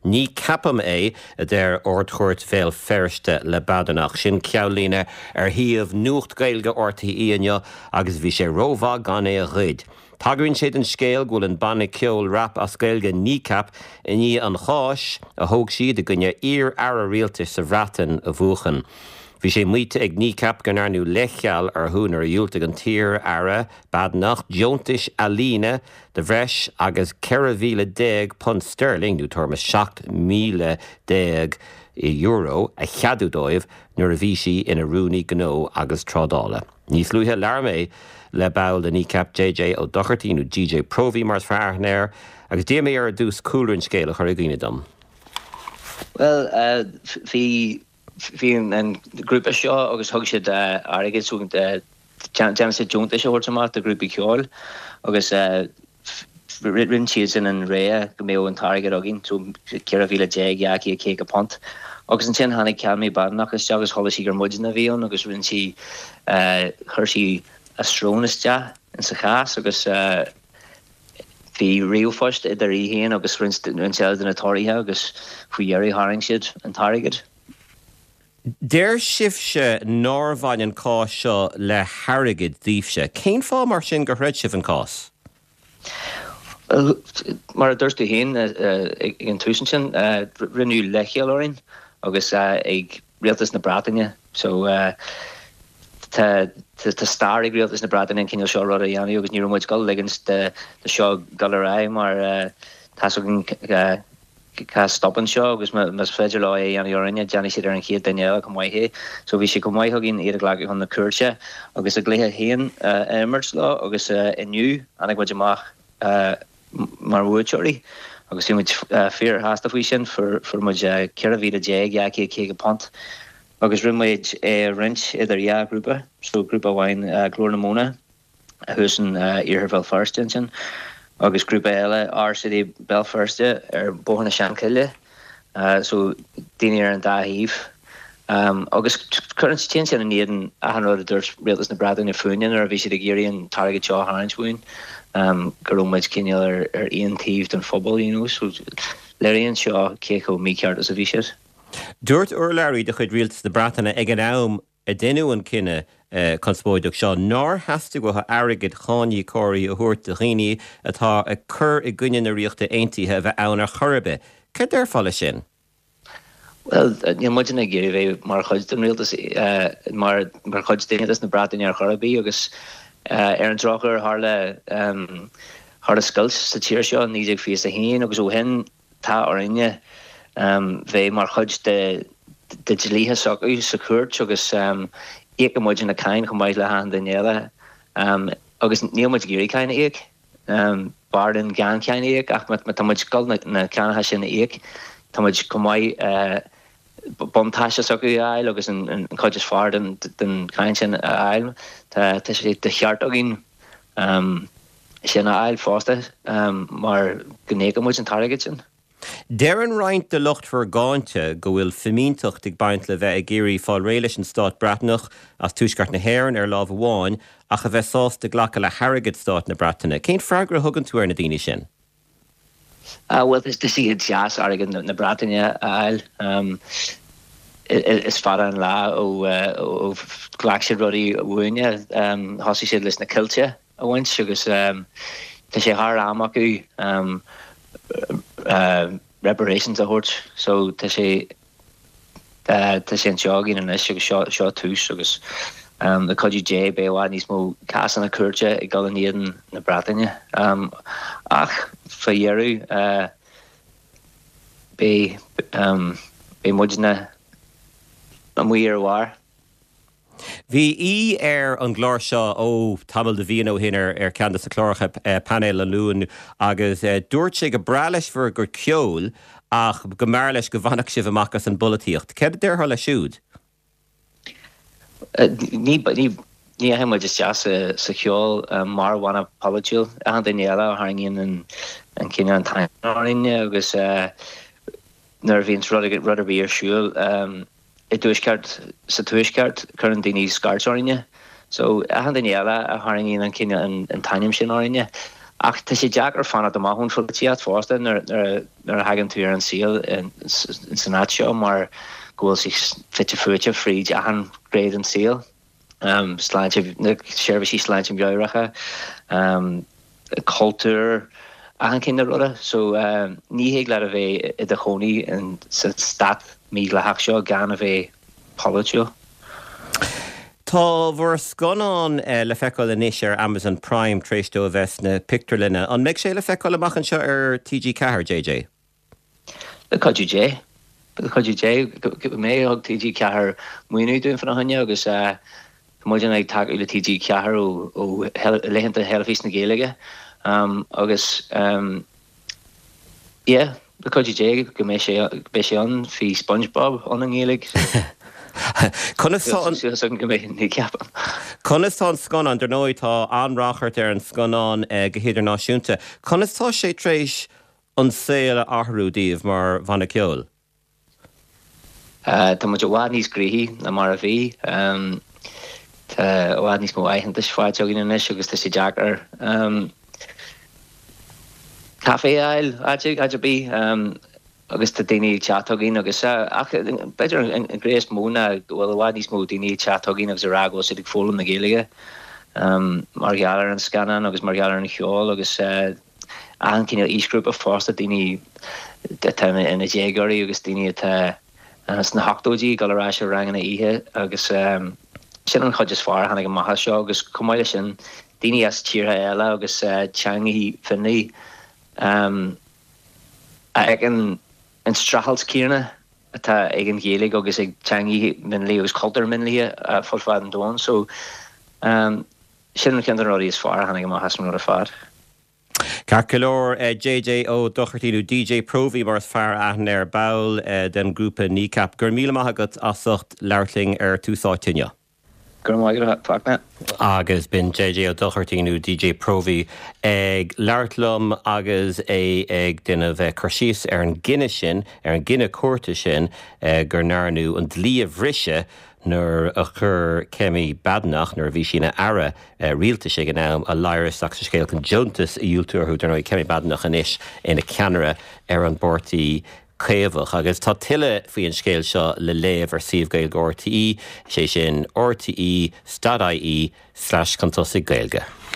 Ní ceapaim é, a deir Ard-Chúirt Bhéal Feirste le Badenoch. Sin ceannlíne ar shuíomh Nuacht Gaeilge RTÉ inniu agus bhí sé rómhaith gan é a ghoid. Tagraíonn sé don scéal go bhfuil an banna ceoil rap as Gaeilge Kneecap i ndiaidh an cháis a thóg siad i gcoinne iar-aire rialtais sa Bhreatain a bhuachan. Bhí sé maíte ag Kneecap go ndearnadh leithcheal orthu nuair a dhiúltaigh an t-iar-aire Badenoch deontais ealaíne de bhreis agus £14,000 sterling, nó tuairim is €17,000, a cheadú dóibh nuair a bhí sí ina Rúnaí Gnó agus Trádála. Níos luaithe labhair mé le ball de Kneecap, JJ Ó Dochartaigh, nó DJ Próvaí mar is fearr aithne air, agus d'iarr mé air ar dtús cúlra an scéil a chur i gcuimhne dom. Bhuel, bhí, bhí an grúpa seo agus thug siad airgead so déanann siad deontais a thabhairt amach do ghrúpaí ceoil agus rinne siadsan an rogha go mbeadh an t-airgead againn, so £14,250. Agus ansin tháinig Kemi Badenoch isteach agus chuala sí gur muidne a bhí ann agus rinne sí, chuir sí a srón isteach insa chás agus bhí ríomhphost idir í féin agus roinnt eile de na Tóraithe agus faoi dheireadh tharraing siad an t-airgead. Deir sibhse nár bhain an cás seo le hairgead daoibhse. Cén fáth mar sin gur throid sibh an cás? Bhuel, mar a dúirt tú féin ag an tús ansin, rinneadh leithcheal orainn agus ag Rialtas na Breataine. So tá stair ag Rialtas na Breataine an cineál seo ruda a dhéanamh agus ní raibh muid ag dul ligint do seo dul ar aghaidh mar tá's againn Cá stopann seo agus más féidir leo é a dhéanamh orainne, déanfaidh siad ar an chéad duine eile chomh maith é. So bhí sé chomh maith againn iad a ghlacadh chun na cúirte agus a gcluiche féin a imirt leo agus inniu tháinig muid amach mar bhuaiteoirí agus bhí muid fíorshásta faoi sin. Fuair muid £14,250 agus rinne muid é a roinnt idir dhá ghrúpa, so grúpa amháin Glór na Móna, thuas in iarthar Bhéal Feirste ansin agus grúpa eile, Our City Béal Feirste ar Bhóthar na Seanchille, so daoine ar an dá thaobh. Agus cuireann, téann sin in éadan achan rud a dúirt Rialtas na Breataine fúinne nuair a bhí siad ag iarraidh an t-airgead seo a tharraingt uainn, go raibh muid cineál ar ar aon taobh den phobal, you know, so léiríonn seo cé chomh mícheart is a bhí siad. Dúirt urlabhraí de chuid Rialtas na Breataine ag an am a deineadh an cinneadh conspóideach seo nár theastaigh uathu airgead cháiníocóirí a thabhairt do dhaoine atá ag cur i gcoinne na Ríochta Aontaithe a bheith ann ar chor ar bith. Céard déarfá leis sin? Bhuel, níl muidne ag iarraidh bheith mar chuid den rialtas, mar mar chuid d'Aontas na Breataine ar chor ar bith agus ar an drochuair tharla tharla scoilt sa tír seo i 1921 agus ó shin Tá orainne bheith mar chuid de dlíthe s'acu sa chúirt agus íocann muid na cáin chomh maith le hachan duine eile agus níl muid ag iarraidh cáin a íoc. B'fhearr linn gan cáin a íoc ach má tá muid ag dul na cánacha sin a íoc tá muid chomh maith buntáiste s'acu a fháil agus an chuid is fearr den cháin sin a fháil. Tá sé de cheart againn. sin a fháil fosta mar go n-íocann muid an t-airgead sin. Deireann roinnt de lucht bhur gcáinte go bhfuil fimínteacht ag baint le bheith ag iarraidh fáil réidh leis an stát Breatnach as tuaisceart na hÉireann ar lámh amháin ach a bheith sásta glacadh le hairgead stát na Breataine. Cén freagra a thugann tú ar na daoine sin? Bhuel, tá sé deas airgead na Breataine a fháil. Is fada an lá ó ghlac siad rudaí uainne. Thosaigh siad leis na coillte a bhaint agus tá sé thar am acu reparations a thabhairt. So tá sé. Tá sé anseo againn anois agus seo seo tús agus le cuidiú Dé beidh i bhfad níos mó cásanna cúirte ag dul in éadan na Breataine. Ach fá dheireadh beidh beidh muidne amuigh ar a bharr. Bhí aoi ar an gclár seo, ó, tamall de mhíonna ó shin ar cheann de na cláracha Painéal an Luain agus dúirt sé go breá leis bhur gcuid ceoil ach go mb'fhearr leis go bhfanfadh sibh amach as an bpolaitíocht. Céard a déarfá leis siúd? Ní dheachaigh muid isteach sa cheol mar bhanna polaitiúil. Achan duine eile a tharraingíonn an cineál an t-ainm orainne agus nuair a bhíonns rud ar bith ar siúl, i dtuaisceart, sa tuaisceart, cuireann daoine scairt orainne. So, achan duine eile a tharraingíonn an cineál, an t-ainm sin orainne. Ach tá sé deacair fanacht amach ón pholaitíocht fosta nuair a thagann tú ar an saol san áit seo mar go bhfuil sé fite fuaite fríd achan ghné den saol, sláinte, na seirbhísí sláinte meabhracha, cultúr, achan chineál ruda. So ní thig leat a bheith i do chónaí sa stát mídhleathach seo gan a bheith polaitiúil. Tá bhur scannán le feiceáil anois ar Amazon Prime tar éis dó a bheith sna pictiúrlanna. An mbeidh sé le feiceáil amach anseo ar TG4, JJ? Le cuidiú Dé. Le cuidiú Dé go mbeidh. Thug TG4 maoiniú dúinn fána choinne agus tá muidne ag tacú le TG4 ó laethanta Theilifís na Gaeilge agus Yeah, le cuidiú Dé go mbeidh sé, beidh sé ann, bhí SpongeBob ann i nGaeilge so Conas tá an. Súil agam go mbeidh Kneecap ann. Conas tá an scannán, dar ndóigh tá an-ráchairt ar an scannán go hidirnáisiúnta, conas tá sé tar éis an saol a athrú daoibh mar bhanna ceoil? Tá muid i bhfad níos gnoithí ná mar a bhí. Tá i bhfad níos mó aitheantais faighte againn anois agus tá sé deacair caife a fháil áit ar bith agus tá daoine ag teacht chugainn agus ach b'fhéidir an ghné is mó ná go bhfuil i bhfad níos mó daoine ag teacht chugainn agus ag rá go bhfuil siad ag foghlaim na Gaeilge mar gheall ar an scannán agus mar gheall ar an cheol agus achan cineál aoisghrúpa fosta, daoine atá ina déagóirí agus daoine atá sna hochtóidí ag dul ar ais ar ranganna oíche agus sin an chuid is fearr a tháinig amach as seo agus chomh maith leis sin daoine as tíortha eile agus teangacha mionlaigh a fheiceann an streachailt céanna atá ag an Ghaeilge agus ag teangacha mionlaigh agus cultúir mionlaithe fud fad an domhain. So sin ceann de na rudaí is fearr a tháinig amach as an rud ar fad. Ceart go leor, JJ Ó Dochartaigh, nó DJ Próvaí mar is fearr aithne air, ball den ghrúpa Kneecap. Go raibh míle maith agat as ucht labhairt linn ar Tús Áite inniu. Go raibh maith agat, Fachtna. Agus b'in JJ Ó Dochartaigh, nó DJ Próvaí, ag labhairt liom agus é ag déanamh cur síos ar an gcinneadh sin, ar an gcinneadh cúirte sin, go ndearnadh an dlí a bhriseadh nuair a chuir Kemi Badenoch, nuair a bhí sí ina aire rialtais ag an am, a ladhar isteach sa scéal chun deontas a dhiúltú orthu. Dar ndóigh, Kemi Badenoch anois ina ceannaire ar an bPáirtí Caomhach. Agus tá tuilleadh faoi an scéal seo le léamh ar suíomh Gaeilge RTÉ, sé sin rte.ie slash chun tosaigh Gaeilge.